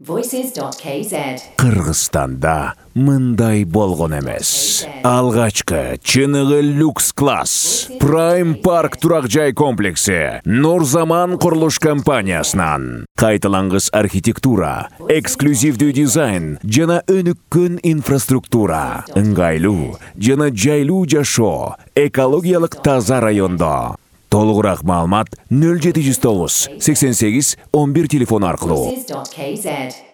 Voices.kz. Кыргызстанда мындай болгон эмес. Алгачкы чыныгы люкс класс Prime Park турак жай комплекси Нурзаман курулуш компаниясынан кайталангыс архитектура, эксклюзивдүү дизайн жана өнүккөн инфраструктура, ыңгайлуу жана жайлуу жашоо, экологиялык таза райондо. Толугураак маалымат 0709 88 11 телефону аркылуу. Voices.kz.